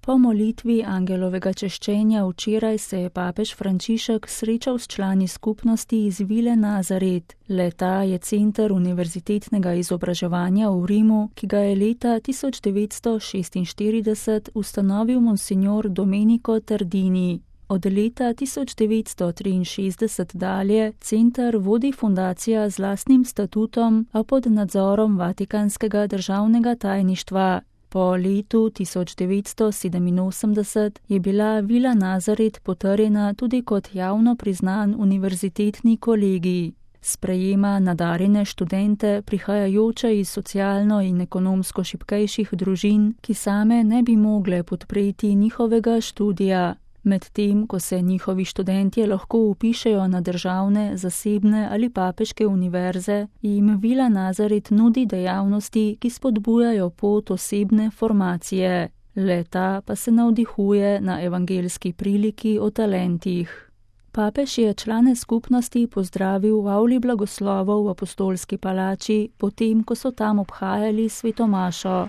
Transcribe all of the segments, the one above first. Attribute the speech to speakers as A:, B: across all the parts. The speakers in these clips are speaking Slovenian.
A: Po molitvi angelovega češčenja včeraj se je papež Frančišek srečal s člani skupnosti iz Vile Nazaret. Le-ta je center univerzitetnega izobraževanja v Rimu, ki ga je leta 1946 ustanovil monsignor Domenico Tardini. Od leta 1963 dalje center vodi fundacija z lastnim statutom, a pod nadzorom Vatikanskega državnega tajništva. Po letu 1987 je bila Vila Nazaret potrjena tudi kot javno priznan univerzitetni kolegij. Sprejema nadarjene študente, prihajajoče iz socialno in ekonomsko šibkejših družin, ki same ne bi mogle podpreti njihovega študija. Medtem, ko se njihovi študentje lahko vpišejo na državne, zasebne ali papeške univerze, jim Vila Nazaret nudi dejavnosti, ki spodbujajo pot osebne formacije. Le-ta pa se navdihuje na evangeljski priliki o talentih. Papež je člane skupnosti pozdravil v avli blagoslovov v apostolski palači, potem, ko so tam obhajali svetomašo.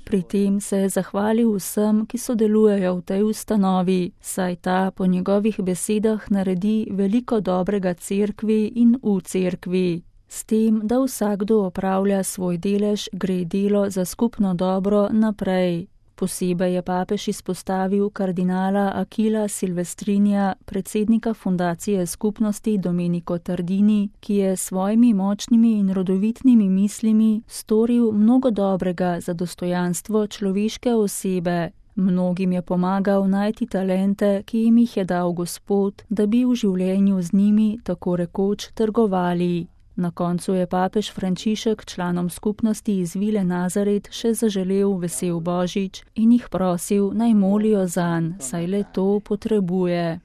A: Pri tem se je zahvalil vsem, ki sodelujejo v tej ustanovi, saj ta po njegovih besedah naredi veliko dobrega cerkvi in v cerkvi. S tem, da vsakdo opravlja svoj delež, gre delo za skupno dobro naprej. Posebej je papež izpostavil kardinala Akila Silvestrinja, predsednika fundacije skupnosti Domenico Tardini, ki je s svojimi močnimi in rodovitnimi mislimi storil mnogo dobrega za dostojanstvo človeške osebe. Mnogim je pomagal najti talente, ki jim jih je dal Gospod, da bi v življenju z njimi tako rekoč trgovali. Na koncu je papež Frančišek članom skupnosti iz Vile Nazaret še zaželel vesel Božič in jih prosil, naj molijo zanj, saj le to potrebuje.